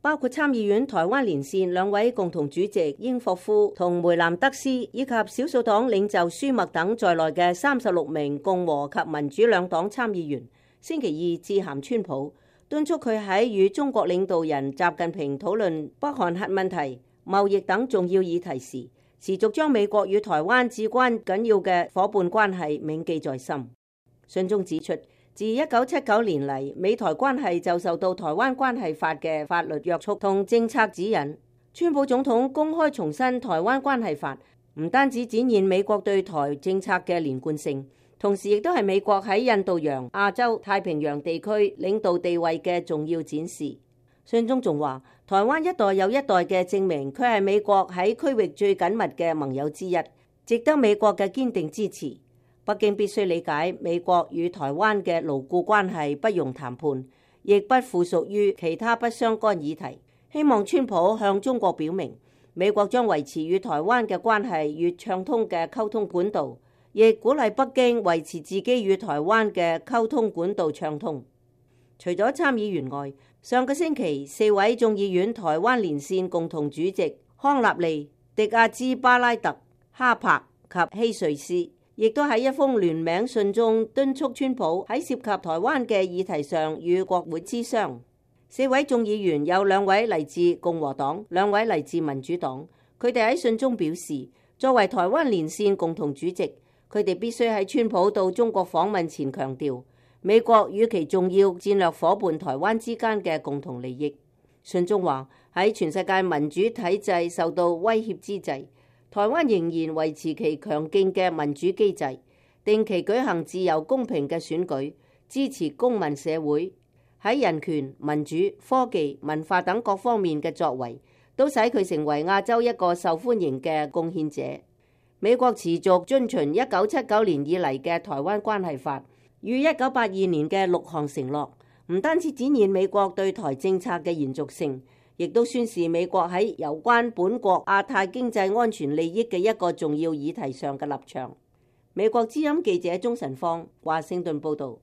包括參議院台灣連線兩位共同主席英霍夫同梅南德斯，以及少數黨領袖舒默等在內嘅36名共和及民主兩黨參議員，星期二致函川普，敦促佢喺與中國領導人習近平討論北韓核問題、貿易等重要議題時，持續將美國與台灣至關緊要嘅夥伴關係銘記在心。信中指出，自1979年嚟，美台關係就受到《台灣關係法》嘅法律約束同政策指引。川普總統公開重申《台灣關係法》，唔單止展現美國對台政策嘅連貫性，同時亦都係美國喺印度洋、亞洲、太平洋地區領導地位嘅重要展示。信中仲話，台灣一代又一代嘅證明，佢係美國喺區域最緊密嘅盟友之一，值得美國嘅堅定支持。北京必須理解美國與台灣嘅牢固關係不容談判，亦不附屬於其他不相干議題。希望川普向中國表明，美國將維持與台灣嘅關係越暢通嘅溝通管道，亦鼓勵北京維持自己與台灣嘅溝通管道暢通。除咗參議員外，上個星期4位眾議院台灣連線共同主席康納利、迪亞茲巴拉特、哈柏及希瑞斯，亦都喺一封聯名信中敦促川普喺涉及台灣嘅議題上與國會諮商。4位眾議員有2位嚟自共和黨，2位嚟自民主黨。佢哋喺信中表示，作為台灣連線共同主席，佢哋必須喺川普到中國訪問前強調美國與其重要戰略夥伴台灣之間嘅共同利益。信中話，喺全世界民主體制受到威脅之際，台灣仍然維持其強勁嘅民主機制，定期舉行自由公平嘅選舉，支持公民社會喺人權、民主、科技、文化等各方面嘅作為，都使佢成為亞洲一個受歡迎嘅貢獻者。美國持續遵循1979年以嚟嘅台灣關係法與1982年嘅6項承諾，唔單止展現美國對台政策嘅延續性，亦都宣示美國喺有關本國亞太經濟安全利益嘅一個重要議題上嘅立場。美國之音記者鍾晨芳華盛頓報導。